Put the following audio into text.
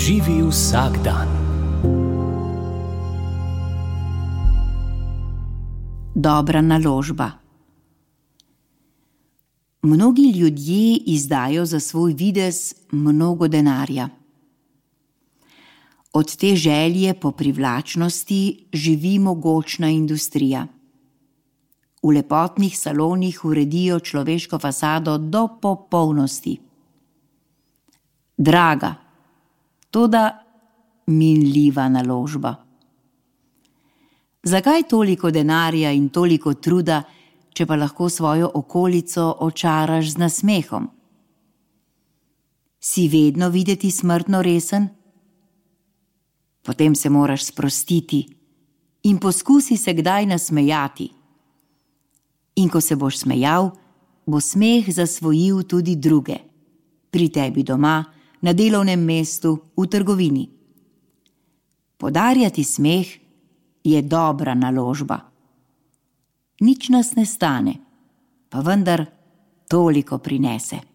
Živi vsak dan. Dobra naložba. Mnogi ljudje izdajo za svoj videz mnogo denarja. Od te želje po privlačnosti živi mogočna industrija. V lepotnih salonih uredijo človeško fasado do popolnosti. Draga, toda minljiva naložba. Zakaj toliko denarja in toliko truda, če pa lahko svojo okolico očaraš z nasmehom? Si vedno videti smrtno resen? Potem se moraš sprostiti in poskusi se kdaj nasmejati. In ko se boš smejal, bo smeh zasvojil tudi druge. Pri tebi doma, na delovnem mestu, v trgovini. Podarjati smeh je dobra naložba. Nič nas ne stane, pa vendar toliko prinese.